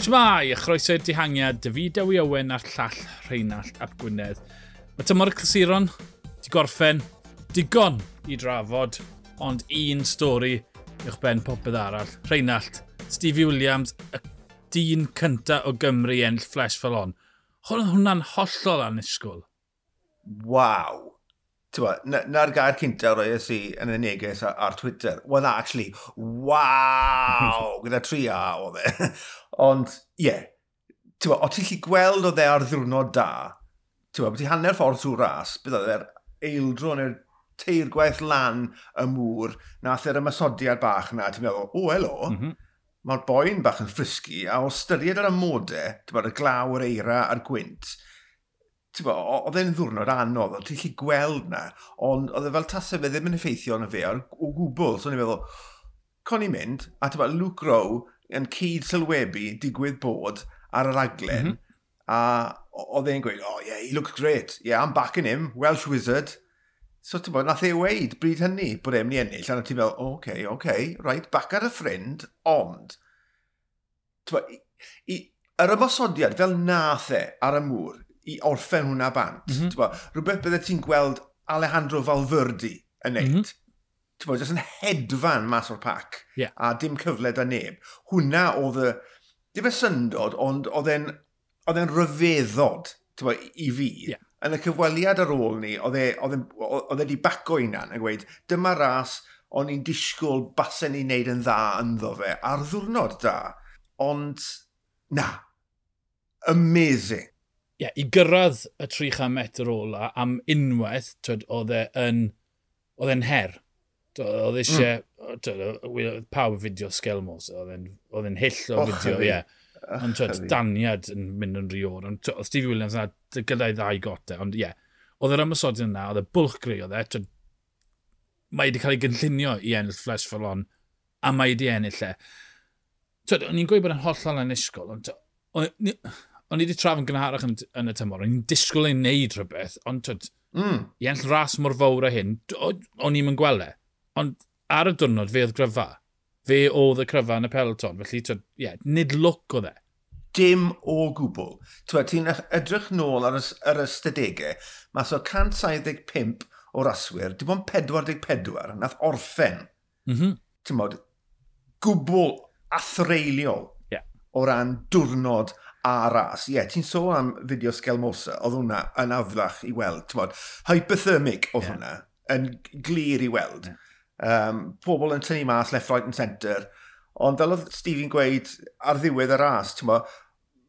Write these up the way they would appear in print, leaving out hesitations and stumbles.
Shmai, a chroeso i'r dihangiad, David Dewi Owen a'r llall Rheinallt ap Gwynedd. Mae tymor y clasuron di gorffen digon i drafod, ond un stori uwch ben popeth arall. Rheinallt, Stevie Williams, y dyn cynta o Gymru i ennill Flèche Wallonne. Hwnna'n hollol annisgwyl. Waw. Na'r gair cynta roes i yn y neges ar Twitter. Well, na, actually, waw! Gyda tri A oedd e. Ond, ie, yeah, o ti'n gallu gweld oedd e ar ddiwrnod da, ti'n ti hanner ffordd trwy'r ras, bydd oedd e'r eildro neu'r teir gwaith lan y mŵr, nath e'r ymosodiad bach na, ti'n meddwl, o, helo, mae'r boi'n bach yn frisky, a o ystyried yr amodau, ti'n bod, y glaw, yr eira a'r gwynt, ti'n bod, oedd e'n ddwrnod anodd, oedd ti'n gallu gweld na, ond oedd e fel tasau fe ddim yn effeithio arno fe ar, o gwbl, so o'n i'n meddwl, con i'n mynd, a ti'n bod, Luke Rowe yn cyd sylwebu digwydd bod ar y raglen, a oedd e'n gweud, "Oh yeah, he looks great, yeah, I'm backing him, Welsh Wizard." So ti'n bod, nath e weud bryd hynny bod e'n mynd i ennill, a ti'n meddwl, oh, okay, right, back at a friend, ond, ti'n bod, yr ymosodiad fel nath e ar y mŵr, i orffen hwnna bant, ti'n bod, rhywbeth bydde ti'n gweld Alejandro Valverde yn neud, ti'n bod, jyst yn hedfan mas o'r pac, a dim cyfle da neb. Hwnna oedd y, dim y syndod, ond oedd e'n rhyfeddod, ti'n bod, i fi. Yn y cyfweliad ar ôl ni, oedd e wedi baco hunan yn gweud, dyma ras o'n i'n disgwyl basen ni'n neud yn dda ynddo fe, ar ddwrnod da. Ond, na, amazing. Ie, yeah, i gyrraedd y 300 metr ola am unwaith, twyd, oedd e'n her. Oedd eisiau, pawb fideo Skjelmose, oedd e'n hyll o fideo, ie. Ond twyd, daniad yn mynd yn rhy oer. Ond oedd Stevie Williams yna gyda'i ddau gote. Ond ie, yeah, oedd yr ymosodiad yna, oedd y bwlch greu oedd e. Twyd, mae wedi cael ei gynllunio i ennill Flèche Wallonne, a mae wedi ennill e. Twyd, o'n i'n gweud bod e'n hollol annisgwyl, ond o'n i wedi trafod yn gynharach yn y tymor, o'n i'n disgwyl ei wneud rhywbeth, ond twyd, i ennill ras mor fawr â hyn, o'n i'm yn gweld e. Ond ar y diwrnod, fe oedd gryfa. Fe oedd y cryfa yn y peloton, felly twyd, yeah, nid lwc oedd e. Dim o gwbl. Ti'n edrych nôl ar yr ystadegau, mas o 175 o raswyr, dim ond 44 nath orffen. Ti'n bod, gwbl athreiliol o ran diwrnod a ras. Ie, yeah, ti'n sôn am fideo Skjelmose, oedd hwnna yn aflach i weld. Ti'n bod, hypothermic oedd hwnna, yn glir i weld. Pobl yn tynnu mas left, right and centre. Ond fel oedd Stevie'n gweud ar ddiwedd y ras, ti'n bod,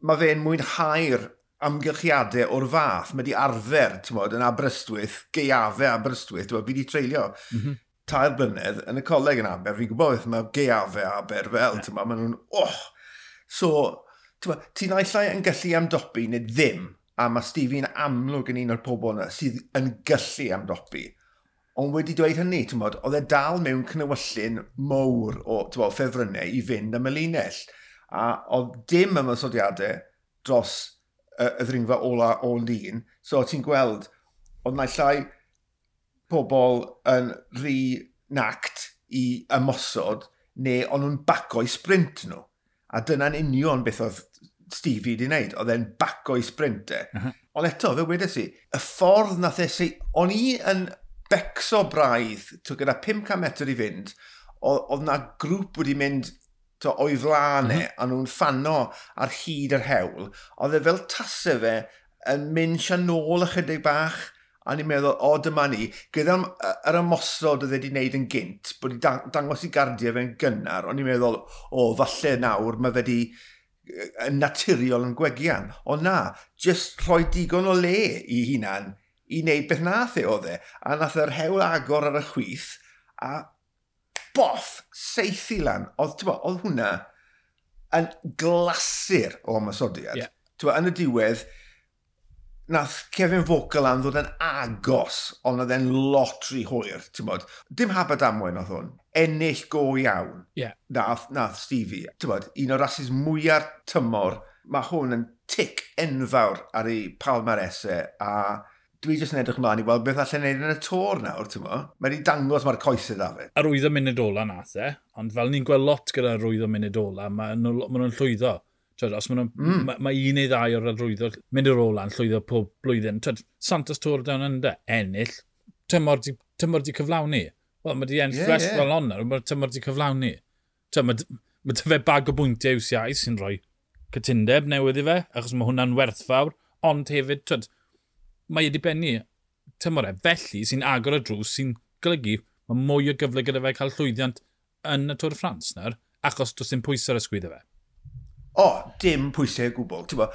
mae fe'n mwynhau'r amgylchiadau o'r fath. Mae di arfer, ti'n bod, yn Aberystwyth, gaeafau Aberystwyth, ti'n bod, fi di treulio 3 blynedd yn y coleg yn Aber, fi'n gwybod beth mae gaeafau Aber fel, ti'n bod, maen nhw'n, oh! So, ti'n bod, ti'n naill ai yn gallu amdopi neu ddim, a mae Stevie'n amlwg yn un o'r pobl yna sydd yn gallu amdopi. Ond wedi dweud hynny, ti'n bod, oedd e dal mewn cnewyllyn mowr o, ti'n bod, ffefrynnau i fynd am y linell. A oedd dim ymosodiadau dros y ddringfa ola o lun. So ti'n gweld, oedd naill ai pobl yn rhy nact i ymosod, neu o'n nhw'n baco i sprint nhw. A dyna'n union beth oedd Stevie wedi wneud. Oedd e'n baco i sprint e. Ond eto, fe wedes i, y ffordd nath e o'n i yn becso braidd, gyda 500 metr i fynd, oedd na grŵp wedi mynd o'i flaen e, a nhw'n ffano ar hyd yr hewl. Oedd e fel tasau fe yn mynd sianôl ychydig bach, a ni'n meddwl, o, dyma ni, gyda'r yr ymosod oedd e wedi wneud yn gynt, bod wedi dangos i gardiau fe'n gynnar, o'n i'n meddwl, o, falle nawr mae fe wedi yn naturiol yn gwegian. Ond na, jyst rhoi digon o le i hunan i wneud beth nath e oedd e. A nath yr hewl agor ar y chwith, a boff, seithi lan. Oedd, ti'n bod, oedd hwnna yn glasur o ymosodiad. Ti'n bod, yn y diwedd, nath Kevin Vauquelin ddod yn agos, ond oedd e'n lot rhy hwyr, ti'n bod. Dim hap a damwain oedd hwn. Ennill go iawn. Nath Stevie. Ti'n bod, un o'r rasis mwyaf tymor, mae hwn yn tic enfawr ar ei palmarès e, a dwi jyst yn edrych ymlaen i weld beth allan neud yn y Tour nawr, ti'n mo? Mae wedi dangos mae'r coesau da fe. Ar 8 munud ola nath e, ond fel ni'n gweld lot gyda'r 8 munud ola, mae nhw'n llwyddo. Twyd, os ma, ma, ma un neu ddau o'r arwyddo mynd i'r ola'n llwyddo pob blwyddyn. Twyd, Santos Tour Down Under, ennill, tymor di cyflawni. Wel, mae di ennill yeah, yeah. Fel honno, mae tymor di cyflawni. Twyd, mae dy fe bag o bwyntiau UCI sy'n rhoi cytundeb newydd i fe, achos mae hwnna'n werthfawr, ond hefyd, twyd, mae wedi bennu tymor e. Felly, sy'n agor y drws, sy'n golygu mae mwy o gyfle gyda fe cael llwyddiant yn y Tour de France nawr, achos does dim pwysau ar y sgwyddo fe. O, dim pwysau o gwbl. Ti'n bo,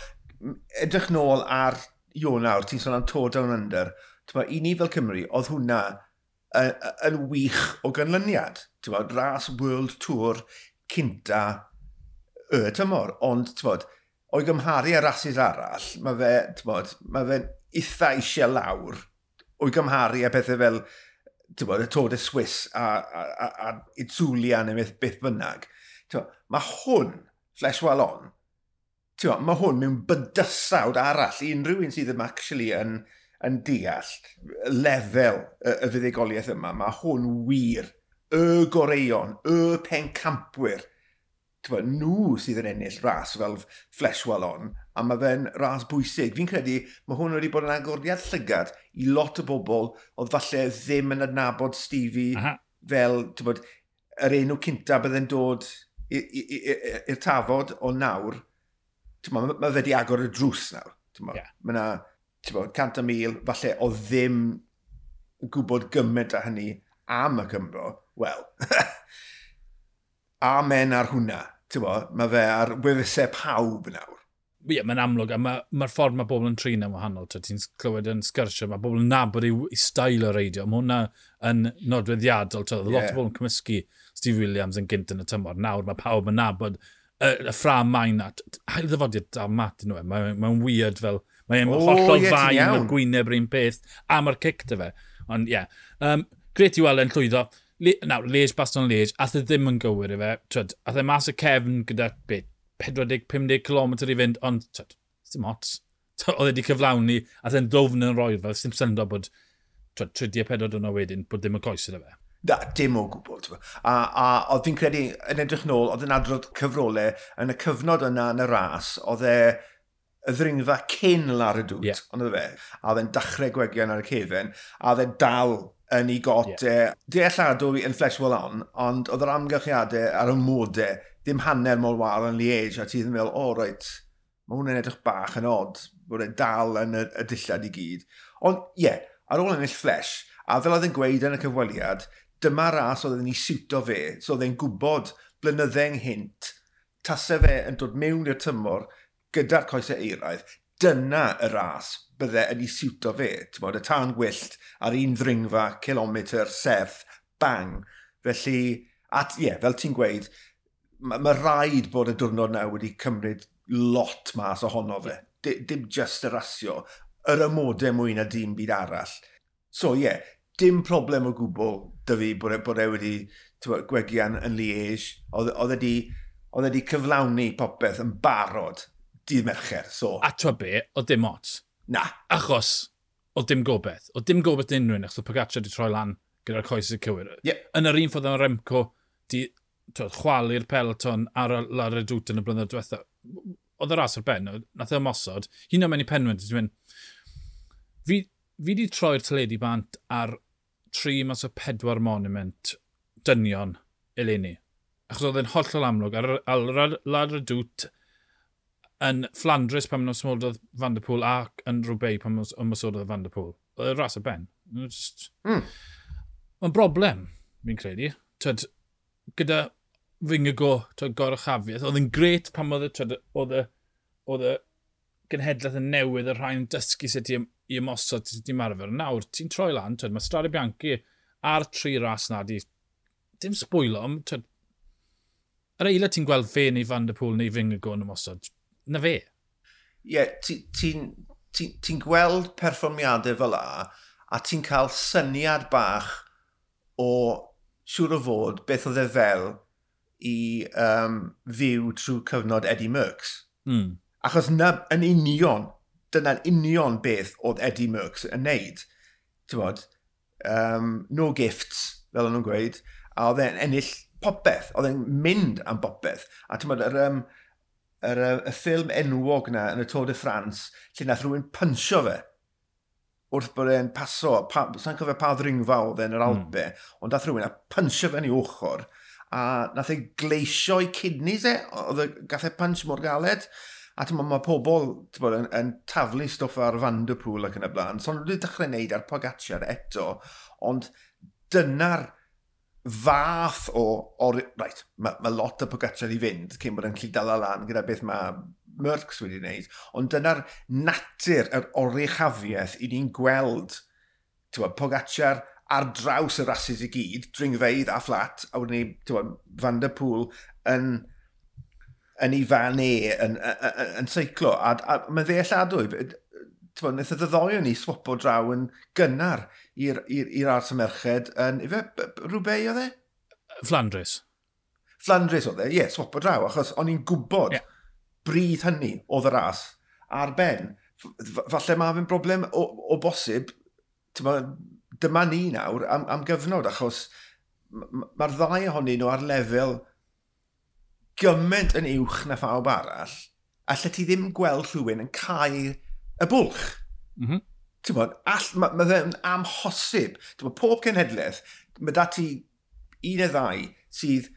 edrych nôl ar Ionawr, ti'n sôn am Tour Down Under, ti'n bo, i ni fel Cymru, oedd hwnna yn wych o ganlyniad. Ti'n bo, ras World Tour cynta y tymor, ond ti'n bod, o'i gymharu â rasys arall, mae fe, ti'n bod, mae fe'n eitha eisiau lawr o'i gymharu â pethau fel ti'n bod, y Tour de Suisse a Itzulia neu beth, beth bynnag. Ti'n bod, mae hwn, Flèche Wallonne, ti'n bod, mae hwn mewn bydysawd arall i unrhyw un sydd ddim actually yn deall lefel y fuddugoliaeth yma. Mae hwn wir, y goreuon, y pencampwyr, ti'n nhw sydd yn ennill ras fel Flèche Wallonne, a mae fe'n ras bwysig. Fi'n credu mae hwn wedi bod yn agoriad llygad i lot o bobl oedd falle ddim yn adnabod Stevie. Fel, ti'n bod, yr enw cynta bydde'n dod i'r tafod o nawr, ti'n bod, mae fe wedi agor y drws nawr. Ti'n bod, mae yna, ti'n bod, 100,000, falle o ddim yn gwybod gymaint â hynny am y Cymro, wel, amen ar hwnna. Ti'n bo, mae fe ar wefusau pawb nawr. Ie, yeah, mae'n amlwg, a mae'r ma ffordd mae bobl yn trin yn wahanol. Ti'n clywed yn sgyrsio, mae bobl yn nabod ei style o reidio. Mae hwnna yn nodweddiadol. Twyd, lot o bobl yn cymysgu Steve Williams yn gynt yn y tymor. Nawr mae pawb yn nabod y ffram main na. Ail ddyfodiad da mat nhw. Mae'n mae weird fel... Mae'n hollol fain, mae'r gwyneb yr un peth, a mae'r cic dy fe. Ond ie, yeah. Gret i weld e'n llwyddo. Nawr, Liège, Baston Liège, ath e ddim yn gywir i fe. Twyd, ath e mas y cefn gyda beth, 40-50 km i fynd, ond twyd, dim ots. Oedd e wedi cyflawni, ath e'n ddwfn yn roi fel, dim syndod bod twyd, 34 diwrnod wedyn, bod ddim yn coes iddo fe. Na, dim o gwbl. A oedd fi'n credu, yn edrych nôl, oedd yn adrodd cyfrolau, yn y cyfnod yna yn y ras, oedd e y ddringfa cyn La Redoute, ond oedd fe, a oedd e'n dechrau gwegian ar y cefen, a oedd e dal yn ei got. Dealladwy yn Flèche Wallonne, ond oedd yr amgylchiadau a'r ymodau ddim hanner mor wael yn Liège, a ti ddim yn meddwl, o, oh, reit, mae hwnna'n edrych bach yn odd, bod e dal yn y dillad i gyd. Ond, ie, yeah, ar ôl ennill Flèche, a fel oedd e'n gweud yn y cyfweliad, dyma ras oedd yn ei siwto fe, so oedd e'n gwybod blynydde ynghynt, tase fe yn dod mewn i'r tymor gyda'r coesau euraidd, dyna y ras bydde yn ei siwto fe. Ti'n bod, y tân gwyllt ar un ddringfa, kilometr, serth, bang. Felly, at, ie, yeah, fel ti'n gweud, mae ma rhaid bod y diwrnod na wedi cymryd lot mas ohono fe. Dim just y rasio, yr ymodau mwy na dim byd arall. So ie, yeah, dim problem o gwbl dy fi bod e wedi ti'n gwegian yn Liège. Oedd e wedi cyflawni popeth yn barod dydd Mercher. So. A ti'n be, oedd dim ots. Na. Achos, oedd dim gobeith. Oedd dim gobeith unrhyw un, achos oedd Pogacar wedi troi lan gyda'r coesau cywir. Yn yr un ffordd o'n Remco, di twyd, chwalu'r peloton ar y La Redoute yn y blynyddoedd diwetha. Oedd y ras ar ben, nath e ymosod. Hyn o'n mynd i penwyn, ti'n mynd, fi di troi'r teledu bant ar 3 mas o 4 monument dynion eleni. Achos oedd e'n hollol amlwg ar La Redoute yn Flandres pan ymosodod Van der Poel ac yn Roubaix pan ymosodod Van der Poel. Oedd y ras ar ben. Just... Mae'n broblem, fi'n credu. Twyd, gyda Vingegaard, twyd, goruchafiaeth, oedd yn gret pan oedd e, oedd y, oedd y genhedlaeth yn newydd, y rhai'n dysgu sut i ymosod, sut i ymarfer. Nawr, ti'n troi lan, twyd, mae Strade Bianchi a'r tri ras na di, dim sbwylo, ond twyd, yr eiliad ti'n gweld fe neu Van der Poel neu Vingegaard yn ymosod, na fe. Ie, yeah, ti'n ti, ti, ti gweld perfformiadau fel a, a ti'n cael syniad bach o siŵr o fod beth oedd e fel i fyw trwy cyfnod Eddie Merckx. Achos na, yn union, dyna'n union beth oedd Eddie Merckx yn neud. Ti'n bod, no gifts, fel o'n nhw'n gweud, a oedd e'n ennill popeth, oedd e'n mynd am popeth. A ti'n bod, Y ffilm enwog na yn y Tour de France, lle nath rhywun pynsio fe wrth bod e'n paso, sa'n cofio pa ddringfa oedd e'n yr Alpe, ond nath rhywun a pynsio fe yn ei ochr, a nath e gleisio i kidneys e, oedd e, gath e punch mor galed, a ti'n mae pobl bod, yn taflu stwff ar Van der Poel ac yn y blaen, so nhw wedi dechrau wneud ar Pogacar eto, ond dyna'r fath o right, mae lot o Pogacar i fynd cyn bod yn gallu dala lan gyda beth mae Merckx wedi wneud, ond dyna'r natur, yr oruchafiaeth i ni'n gweld bod, Pogacar ar draws y rasys i gyd, dringfeydd a fflat, a wedyn ni, bod, Van der Poel yn ei fan e, yn seiclo, a mae'n ddealladwy. Bod, wnaeth y ddau o ni swapo draw yn gynnar i'r ras y merched yn, ife, Roubaix oedd e? Flandres. Flandres oedd e, ie, yeah, swapo draw, achos o'n i'n gwybod bryd hynny oedd y ras ar ben. Falle mae fe'n broblem o bosib, dyma ni nawr am gyfnod, achos mae'r ddau ohonyn nhw ar lefel gymaint yn uwch na phawb arall, a lle ti ddim gweld rhywun yn cael y bwlch. Ti'n bod, ma fe'n amhosib. Ti'n bod, pob cenhedlaeth, mae da ti un neu ddau sydd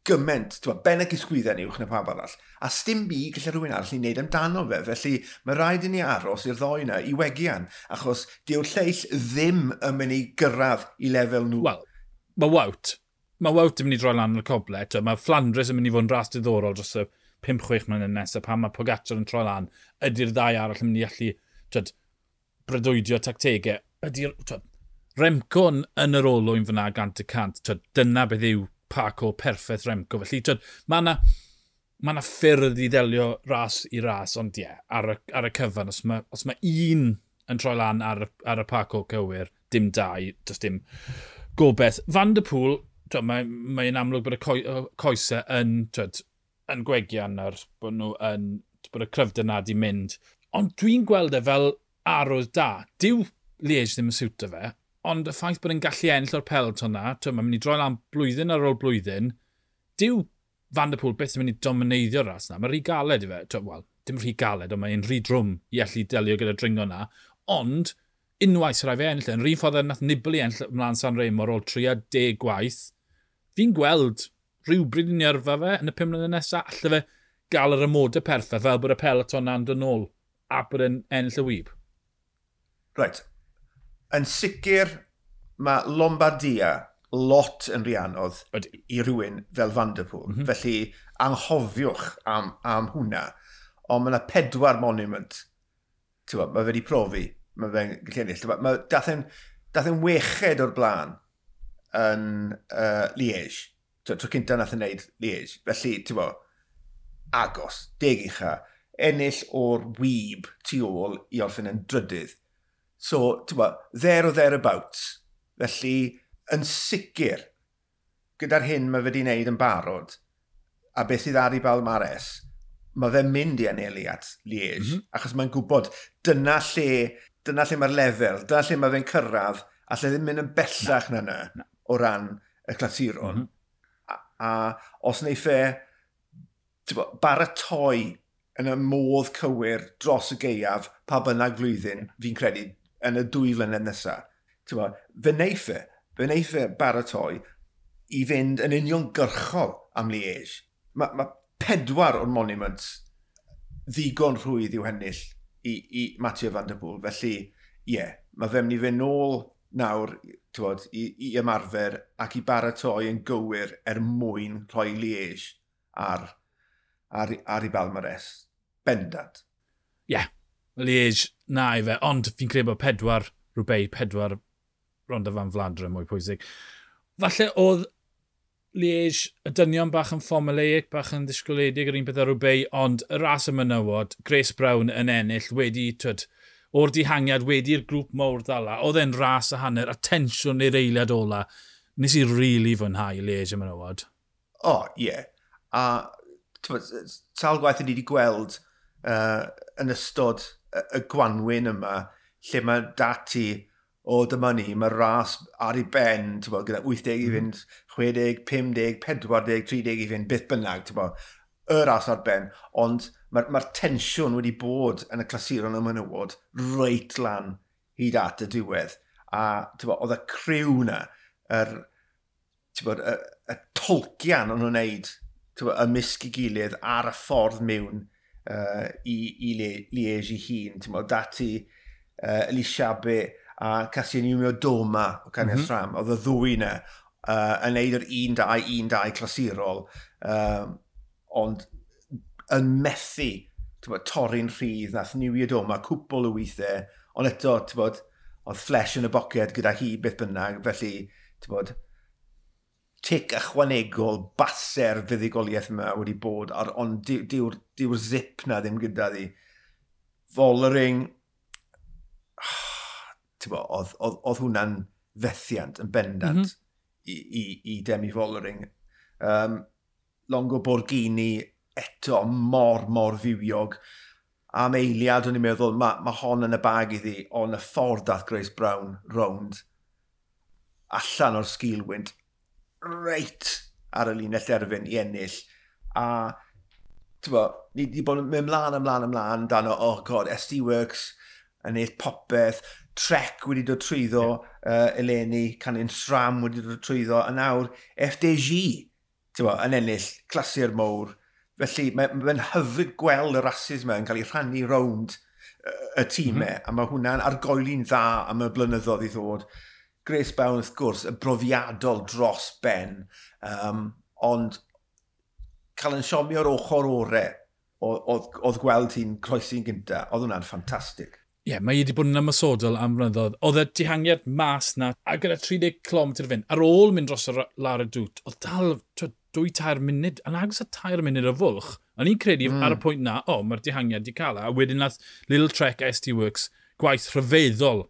gymaint, ti'n bod, ben y gisgwyddau uwch na pawb arall. A sdim byd gallu rhywun arall i wneud amdano fe. Felly mae rhaid i ni aros i'r ddoi yna i wegian, achos dyw'r lleill ddim yn mynd i gyrraedd i lefel nhw. Wel, mae Wout. Mae Wout yn mynd i droi lan yn y coble. Mae Flandres yn mynd i fod yn ras diddorol dros y 5-6 mlynedd nesaf pan mae Pogacar yn troi lan. Ydy'r ddau arall yn mynd i allu twyd, breuddwydio tactegau? Ydy'r Remco yn yr olwyn fyna 100%. Twyd, dyna beth yw parcours perffaith Remco. Felly twyd, mae yna ma ffyrdd i ddelio ras i ras, ond ie, yeah, ar y cyfan, os mae un yn troi lan ar y parcours cywir, dim dau, does dim gobeith. Van der Poel, mae'n mae amlwg bod y coesau yn, twyd, yn gwegian ar bod nhw yn, bod y cryfder na di mynd. Ond dwi'n gweld e fel arwydd da. Dyw Liège ddim yn siwto fe, ond y ffaith bod e'n gallu ennill o'r peloton na, twyd, mae'n mynd i droi lan blwyddyn ar ôl blwyddyn, dyw Van der Poel byth yn mynd i domineiddio'r ras na. Mae'n rhy galed i fe. Wel, dim rhy galed, ond mae'n rhy drwm i allu delio gyda dringo na. Ond, unwaith sy'n rhaid fe ennill. Yn rhan ffordd nath Nibali ennill ymlaen San Remo ar ôl 30 gwaith, fi'n gweld rhywbryd yn ei yrfa fe yn y 5 mlynedd nesaf, alle fe gael yr amodau perffaith fel bod y peloton na'n dod nôl a bod e'n ennill y wib. Right. Yn sicr, mae Lombardia lot yn rhy anodd i rhywun fel Van der Poel. Felly, anghofiwch am hwnna. Ond mae yna pedwar monument. Ti'n mae fe wedi profi. Mae fe'n gallu ennill. Mae dath e'n weched o'r blaen yn Liège. Tro cynta nath e'n neud Liège. Felly, ti'n bo, agos, deg ucha, ennill o'r wib tu ôl i orffen yn drydydd. So, ti'n bo, there or thereabouts. Felly, yn sicr, gyda'r hyn mae fe wedi wneud yn barod, a beth sydd ar ei balmares, mae fe'n mynd i anelu at Liège, achos mae'n gwybod dyna lle mae'r lefel, dyna lle mae fe'n cyrraedd, a lle ddim mynd yn bellach na yna o ran y clasuron. A os wneith e bo, baratoi yn y modd cywir dros y gaeaf, pa bynnag flwyddyn, fi'n credu, yn y 2 flynedd nesaf. Bo, fe wneith e baratoi i fynd yn uniongyrchol am Liège. Mae pedwar o'r monuments ddigon rhwydd i'w hennill i Mathieu van der Poel. Felly, ie, yeah, mae fe mynd i fynd nôl nawr t'wod, i ymarfer ac i baratoi yn gywir er mwyn rhoi Liège ar ei balmares. Bendant. Ie, yeah, Liège na i fe, ond fi'n credu bod pedwar Roubaix, pedwar Ronde van Vlaanderen mwy pwysig. Falle oedd Liège, y dynion bach yn formulaic, bach yn ddisgwyliedig yr un peth ar Roubaix, ond y ras y menywod, Grace Brown yn ennill wedi, twyd, o'r dihangiad wedi'r grŵp mawr ddala, oedd e'n ras a hanner, a tensiwn i'r eiliad ola. Nes i really fwynhau Liège y menywod. O, oh, ie. Yeah. A t'mod, sawl gwaith ni wedi gweld yn ystod y gwanwyn yma, lle mae dati o dyma ni, mae ras ar ei ben, t'bo, gyda 80 i fynd, 60, 50, 40, 30 i fynd, beth bynnag, t'bo. y ras ar ben, ond mae'r tensiwn wedi bod yn y clasuron y menywod reit lan hyd at y diwedd. A oedd y criw na, y tolcian o'n nhw'n neud ymysg i gilydd ar y ffordd mewn i Liège i hun. Dati Elise Chabbey a Kasia Niewiadoma o Canyon SRAM, oedd y ddwy na yn neud yr 1-2-1-2 clasurol, ond yn methu torri'n rhydd, nath Niewiadoma cwpl o weithiau, ond eto, oedd Flèche yn y boced gyda hi beth bynnag, felly, tic ychwanegol base'r fuddugoliaeth yma wedi bod, ond dyw'r zip na ddim gyda ddi. Vollering, oedd hwnna'n fethiant yn bendant i Demi Vollering. Longo Borghini eto mor, mor fywiog. Am eiliad o'n i'n meddwl, mae hon yn y bag iddi, ond y ffordd dath Grace Brown rownd allan o'r sgilwynt reit ar y linell derfyn i ennill. A ni wedi bod yn mynd mlaen, ymlaen, ymlaen, dan o, oh God, SD Worx yn ennill popeth, Trek wedi dod trwyddo eleni, Canyon SRAM wedi dod trwyddo, a nawr FDJ yn ennill clasur mowr. Felly mae'n hyfryd gweld y rhasys yma yn cael ei rhannu rownd y tîmau, a mae hwnna'n argoeli'n dda am y blynyddoedd i ddod. Grace Brown, wrth gwrs, y brofiadol dros ben, ond cael yn siomi o'r ochr ore oedd gweld hi'n croesi'n gynta, oedd hwnna'n ffantastig. Ie, yeah, mae hi wedi bod yn ymosodol am flynyddoedd. Oedd y dihangiad mas na, a gyda 30 km fynd, ar ôl mynd dros y La Redoute, oedd dal 2-3 munud, yn agos at 3 munud o fwlch. O'n i'n credu ar y pwynt na, o, mae'r dihangiad di cael e. A wedyn nath Little Trek SD Worx gwaith rhyfeddol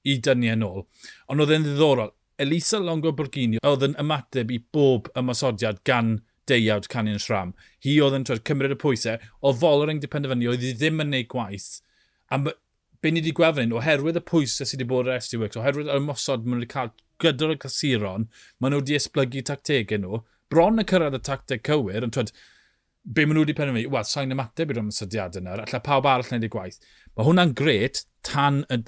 i dynnu yn ôl. Ond oedd e'n ddiddorol. Elisa Longo Borghini oedd yn ymateb i bob ymosodiad gan deuawd Canyon SRAM. Hi oedd yn cymryd y pwysau. Oedd Vollering di penderfynu, oedd hi ddim yn neud gwaith. A be ni wedi gweld fan hyn, oherwydd y pwysau sydd wedi bod ar SD Worx, oherwydd yr ymosod maen nhw wedi cael gyda'r clasuron, maen nhw wedi esblygu tactegau nhw, bron y cyrraedd y tacteg cywir, ond be maen nhw wedi penderfynu, wel, sa'n ymateb i'r ymosodiadau yna, alla pawb arall wneud ei gwaith. Mae hwnna'n gret tan y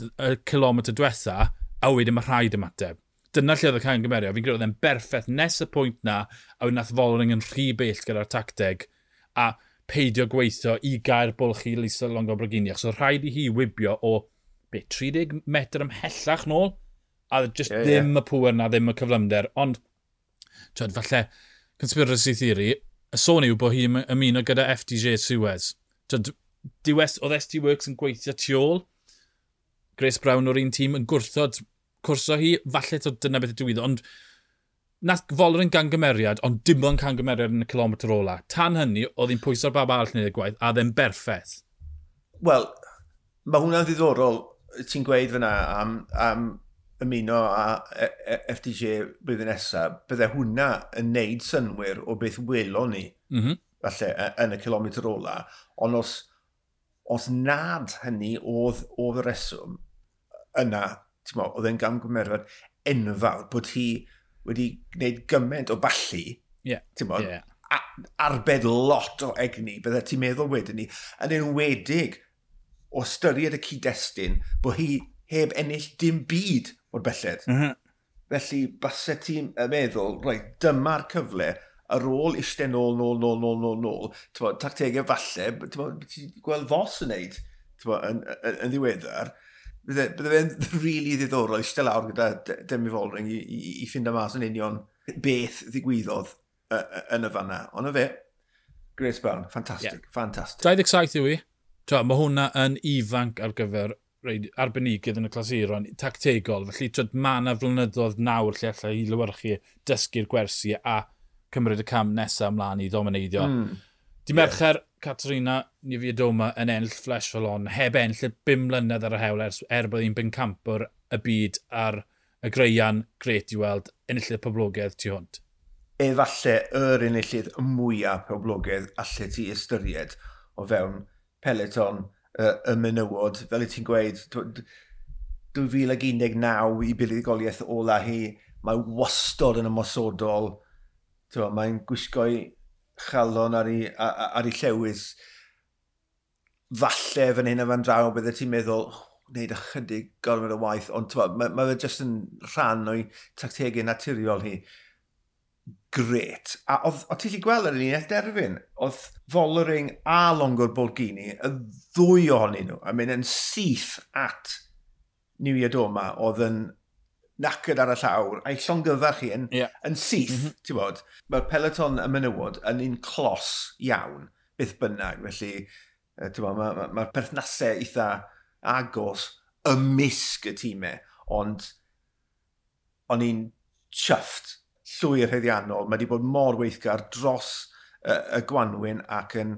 kilometr diwetha, a wedyn mae rhaid ymateb. Dyna lle oedd y camgymeriad. Fi'n credu oedd e'n berffaith nes y pwynt na, a wedyn nath Vollering yn rhy bell gyda'r tacteg, a peidio gweithio i gael bwlch i Lisa Longo Borghini, achos oedd rhaid i hi wibio o 30 metr ymhellach nôl, a just ddim y pŵer na, ddim y cyflymder, ond falle, conspiracy theory, y sôn yw bod hi'n ymuno gyda FDJ Suez. Oedd SD Worx yn gweithio tu ôl, Grace Brown o'r un tîm yn gwrthod cwrso hi, falle dyna beth y digwyddodd, ond nath Vollering gangymeriad, ond dim ond cangymeriad yn y kilometr ola. Tan hynny, oedd hi'n pwyso'r bab arall wneud y gwaith, a ddim berffaith. Wel, mae hwnna'n ddiddorol, ti'n gweud fyna am ymuno â FDJ blwyddyn nesaf, bydde hwnna yn neud synnwyr o beth welon ni, falle, yn y kilometr ola. Ond os nad hynny oedd y reswm yna, oedd e'n gamgymeriad enfawr bod hi wedi gwneud gymaint o ballu, arbed lot o egni, bydde ti'n meddwl wedyn ni, yn enwedig o ystyried y cyd-destun bod hi heb ennill dim byd o'r belled. Felly, base ti'n meddwl, reit, dyma'r cyfle ar ôl eistedd nôl, nôl, nôl, nôl, nôl, nôl, tactegau falle, ti'n gweld Vos yn neud yn ddiweddar, bydde fe'n rili ddiddorol eistedd lawr gyda Demi Vollering i ffindo mas yn union beth ddigwyddodd yn y fanna. Ond fe, Grace Brown, ffantastig, ffantastig. 27 yw i. Mae hwnna yn ifanc ar gyfer arbenigydd yn y clasuron, tactegol. Felly, mae yna flynyddoedd nawr lle allai i lywyrchu dysgu'r gwersi a cymryd y cam nesaf ymlaen i ddomineiddio. Di Mercher, Katarzyna Niewiadoma yn ennill Flèche Wallonne, heb ennill y 5 mlynedd ar y hewl er bod hi'n bencampwr y byd ar y greian, gret i weld, enillydd poblogaidd tu hwnt. Efallai yr enillydd mwyaf poblogaidd allet ti ystyried o fewn peloton y menywod, fel i ti'n gweud, 2019 i buddugoliaeth ola hi, mae wastod yn ymosodol, mae'n gwisgo'i chalon ar ei, ar ei llewis. Falle fan hyn a fan draw, bydde ti'n meddwl, wneud ychydig gormod o waith, ond mae ma fe jyst yn rhan o'i tactegau naturiol hi. Gret. A oedd ti'n gallu gweld ar y linell derfyn, oedd Vollering a Longo Borghini, y ddwy ohonyn nhw, yn mynd yn syth at Niewiadoma, oedd yn knackered ar y llawr, a'i llongyfarch hi yn syth, ti'n bod. Mae'r peloton y menywod yn un clos iawn, beth bynnag, felly ti'n bod, mae'r ma perthnasau eitha agos ymysg y tîmau, ond o'n i'n chuffed, llwyr haeddiannol. Mae wedi bod mor weithgar dros y gwanwyn ac yn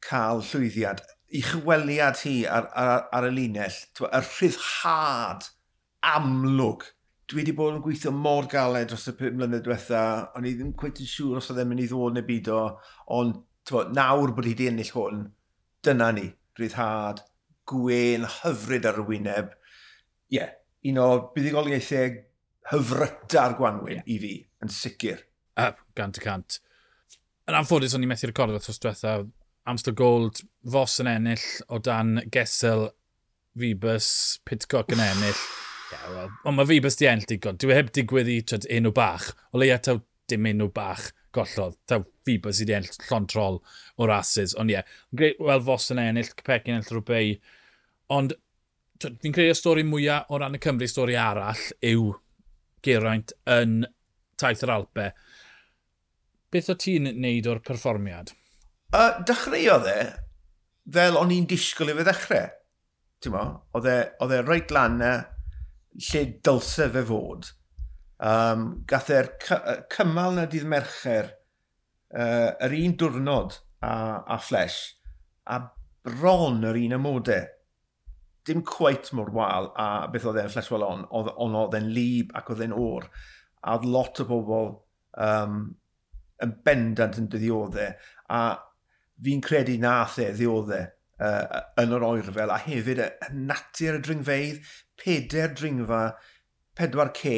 cael llwyddiant. I chweliad hi ar y linell, y rhyddhad amlwg. Dwi wedi bod yn gweithio mor galed dros y 5 mlynedd diwetha, o'n i ddim cweit yn siŵr os oedd e'n mynd i ddod neu bido, ond t'mod, nawr bod hi wedi ennill hwn, dyna ni, rhyddhad, gwên hyfryd ar y wyneb. Ie, yeah, un o buddugoliaethau hyfryta'r gwanwyn i fi, yn sicr. 100%. Yn anffodus, o'n i methu recordo wythnos diwetha. Amstel Gold, Vos yn ennill o dan Gesell, Wiebes, Pidcock yn ennill. Ie, wel, ond mae Wiebes di ennill digon. Dwi heb digwydd i twyd, enw bach. O leia taw dim enw bach gollodd. Taw Wiebes i di ennill llond trol o rases. Ond ie, yeah, wel Vos yn ennill, Kopecky yn ennill Roubaix. Ond twyd, fi'n credu y stori mwyaf o ran y Cymru, stori arall yw Geraint yn taith yr Alpe. Beth o ti'n neud o'r perfformiad? Dechreuodd e fel o'n i'n disgwyl i fe ddechrau. Ti'n mo, oedd e reit lan na lle dylse fe fod. Gath e'r cymal na dydd Mercher yr un diwrnod a Flèche, a bron yr un amodau. Dim cweit mor wael a beth oedd e'n Flèche Wallonne, ond oedd e'n lib ac oedd e'n oer. A oedd lot o bobl yn bendant yn dioddef, a fi'n credu nath e ddioddef yn yr oerfel, a hefyd y natur y dringfeydd, 4 dringfa, 4K,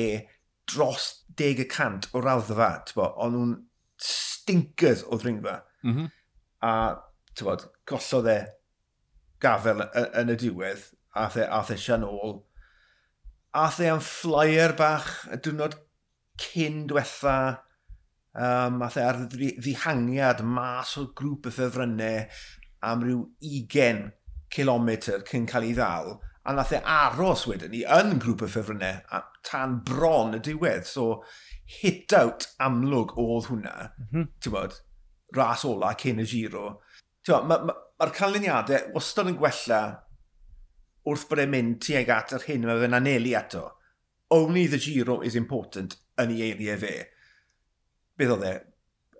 dros 10% o raddfa, o'n nhw'n stinkers o ddringfa. A, t'bod, gollodd e gafel yn y diwedd, ath e sian ôl. Ath e am flyer bach y diwrnod cyn diwetha, ath e ar ddihangiad mas o'r grŵp y ffefrynnau am ryw 20 kilometr cyn cael ei ddal, a nath e aros wedyn ni yn grŵp y ffefrynnau tan bron y diwedd. So, hit out amlwg oedd hwnna, ti'n bod, ras ola cyn y Giro. Mae'r ma canlyniadau wastad yn gwella wrth bod e'n mynd tuag at yr hyn mae fe'n anelu ato. Only the Giro is important yn ei eiriau fe. Beth oedd e?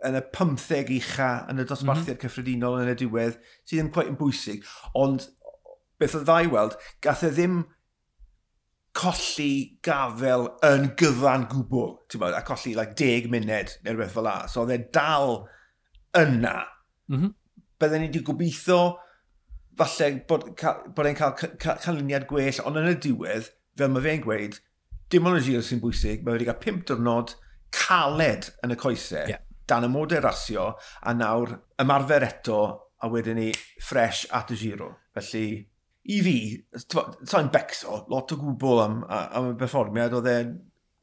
Yn y 15 ucha, yn y dosbarthiad cyffredinol yn y diwedd, sydd ddim quite yn bwysig, ond beth oedd dda i weld, gath e ddim colli gafel yn gyfan gwbl, ti'n bod, a colli like, 10 munud neu rhywbeth fel la. So oedd e dal yna. Bydden ni wedi gobeithio falle bod e'n cael canlyniad gwell, ond yn y diwedd, fel mae fe'n gweud, dim ond y Giro sy'n bwysig, mae wedi cael 5 diwrnod caled yn y coesau, dan y modau rasio, a nawr ymarfer eto, a wedyn ni fresh at y Giro. Felly, i fi, sa'n becso, lot o gwbl am y perfformiad, oedd e,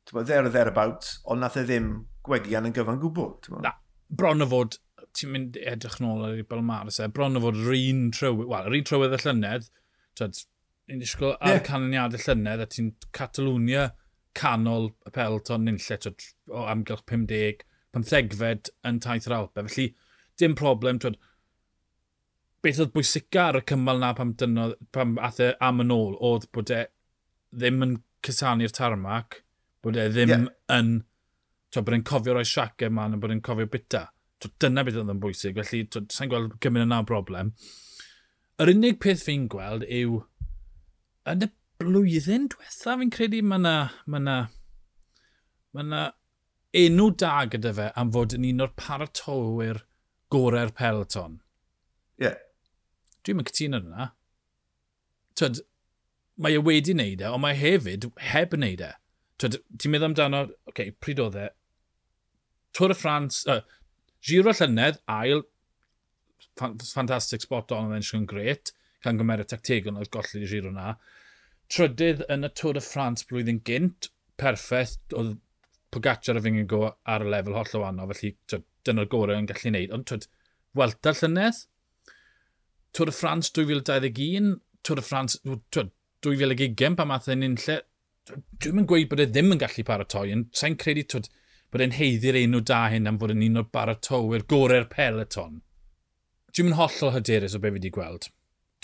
t'mod, there or thereabouts, ond nath e ddim gwegian yn gyfan gwbl. T'mod. Na, bron o fod, ti'n mynd edrych nôl ar ei Balmaris e, bron o fod yr un trywydd, wel, yr un trywydd y llynedd, t'wod, ni'n disgwyl ar canlyniadau llynedd, a ti'n Catalwnia canol y peloton nunlle, t'wod, o amgylch 50, 15fed yn taith yr Alpe. Felly, dim problem, t'wod, beth oedd bwysica ar y cymal na pam ath e am yn ôl, oedd bod e ddim yn cusanu'r tarmac, bod e ddim yn, t'wod, bod e'n cofio roi siaced mlaen a bod e'n cofio bita. T'wod, dyna beth oedd yn bwysig, felly t'wod, sa'n gweld gymaint yna o broblem. Yr unig peth fi'n gweld yw, yn y blwyddyn diwetha fi'n credu ma' 'na enw da gyda fe am fod yn un o'r paratowr gorau'r peloton. Dwi'm yn cytuno yna. T'wod, mae e wedi wneud e, ond mae hefyd heb wneud e. T'wod, ti'n meddwl amdano, oce, pryd oedd e? Tour de France, Giro llynedd, ail, fantastic spot on, oedd e'n gret, can gymeriad tactegol oedd golli Giro na. Trydydd yn y Tour de France blwyddyn gynt, perffaith, oedd Pogacar a Vingegaard ar y lefel hollol wahanol, felly twyd, dyna'r gorau yn gallu gwneud. Ond twyd, Vuelta llynedd, Tour de France 2021, Tour de France twyd, 2020 pan math e'n unlle, dwi'n mynd gweud bod e ddim yn gallu paratoi, ond sa'n credu twyd, bod e'n heiddi'r enw da hyn am fod yn un o'r baratowyr gorau'r peloton. Dwi'n mynd hollol hyderus o be fi wedi gweld.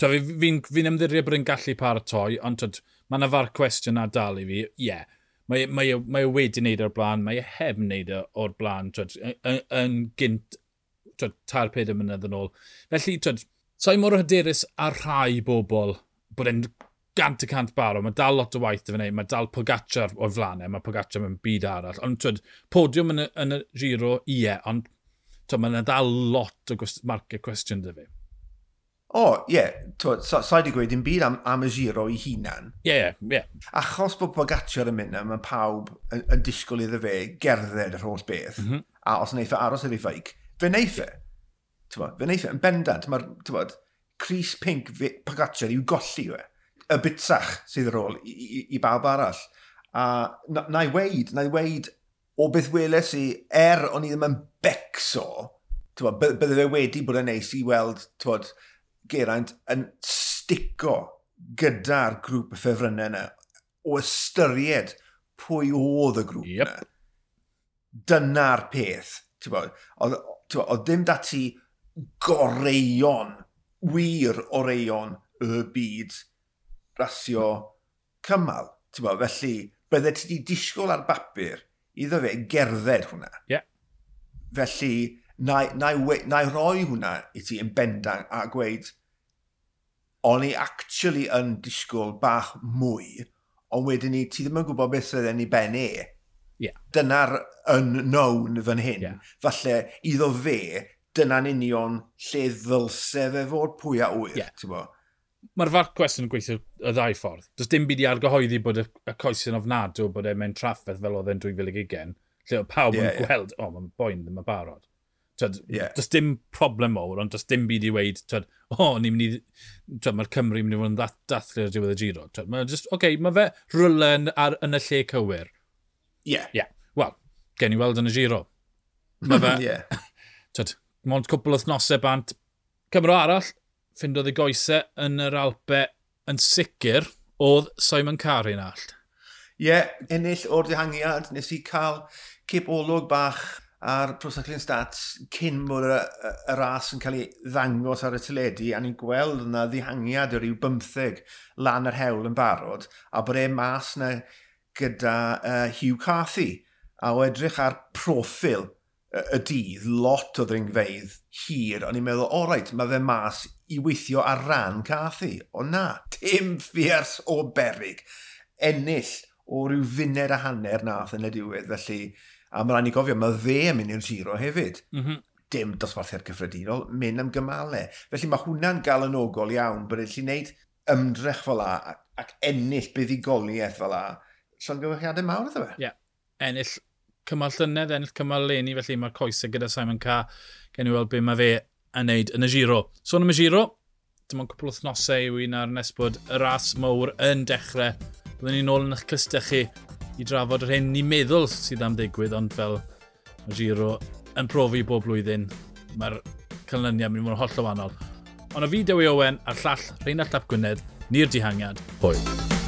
Fi'n fi ymddiried bod e'n gallu paratoi, ond twyd, mae yna far cwestiwn na dal i fi, ie. Yeah, mae e wedi wneud o'r blaen, mae e heb wneud e o'r blaen, twyd, yn gynt, twyd, 3-4 mlynedd yn ôl. Felly, twyd, sa'i mor hyderus ar rhai bobl bod e'n 100% barod. Mae dal lot o waith i fe wneud, mae dal Pogacar o'r flanau, mae Pogacar mewn byd arall. Ond twyd, podiwm yn y Giro, ie, ond twyd, mae yna dal lot o marciau cwestiwn dy fi. O, ie, yeah, sa i wedi gweud dim byd am y Giro i hunan. Ie, ie, ie. Achos bod Pogacar yn mynd, mae pawb yn disgwyl iddo fe gerdded yr holl beth. Mm -hmm. A os wneith e aros ar ei feic, fe wneith e. Fe wneith e, yn bendant. Mae'r crys pink Pogacar i'w golli yw e. Y bitsach sydd ar ôl i bawb arall. A na i weid o beth weles i, o'n i ddim yn becso, bydde fe wedi bod yn neis i weld, Geraint yn stico gyda'r grŵp y ffefrynnau yna o ystyried pwy oedd y grŵp yna. Dyna'r peth. Oedd dim dati goreion, wir oreion y byd rasio cymal. Felly, bydde ti wedi disgwyl ar bapur iddo fe gerdded hwnna. Yeah. Felly, na i roi hwnna i ti yn bendant a gweud o'n i actually yn disgwyl bach mwy, ond wedyn ni, ti ddim yn gwybod beth sydd yn ei ben e. Yeah. Dyna'r unknown fan hyn. Yeah. Falle, iddo fe, dyna'n union lle ddylse fe fod pwy a wyr. Yeah. Mae'r farc cwestiwn yn gweithio y ddau ffordd. Does dim byd i argyhoeddi bod y coesyn ofnadw bod e mewn trafferth fel oedd e'n 2020, lle oedd pawb yn gweld, o, mae'n boen ddim yn barod. Does dim problem mawr, ond does dim byd i weid, twyd, o, ni'n mynd i, twyd, mae'r Cymru yn mynd i fod yn dathlu ar diwedd y Giro. Twyd, mae'n just, oce, mae fe rywle yn y lle cywir. Ie. Yeah. Wel, gen i weld yn y Giro. Mae fe, yeah. Twyd, mond cwpl o wythnosau bant. Cymro arall, ffindodd ei goesau yn yr Alpe yn sicr, oedd Simon Carr yn all. Ie, yeah, ennill o'r dihangiad, nes i cael cip olwg bach a'r Pro Cycling Stats cyn bod y ras yn cael ei ddangos ar y teledu, a ni'n gweld yna ddihangiad o ryw 15 lan yr hewl yn barod, a bod e mas na gyda Hugh Carthy, a o edrych ar proffil y dydd, lot o ddringfeydd hir, o'n i'n meddwl, o reit, mae fe mas i weithio ar ran Carthy. O na, dim ffiars o berig. Ennill o ryw funed a hanner nath yn y diwedd, felly. A mae rhaid ni gofio, mae fe yn mynd i'r Giro hefyd. Mm -hmm. Dim dosbarthiad cyffredinol, mynd am gymalau. Felly mae hwnna'n galonogol iawn, bod e'n gallu gwneud ymdrech fel la ac ennill buddugoliaeth fel la. Llongyfarchiadau mawr iddo fe. Ie, yeah. Ennill cymal llynedd, ennill cymal leni, felly mae'r coesau gyda Simon Carr. Gen i weld be mae fe yn neud yn y Giro. Sôn am y Giro, dim ond cwpl o wythnosau yw un ar nes bod y ras mawr yn dechrau. Byddwn ni'n ôl yn eich clustau chi i drafod yr hyn ni'n meddwl sydd am ddigwydd, ond fel mae Giro yn profi bob blwyddyn, mae'r canlyniad mynd i fod yn hollol wahanol. Ond o fi Dewi Owen a'r llall Rheinallt Ap Gwynedd, ni'r dihangiad, hwyl.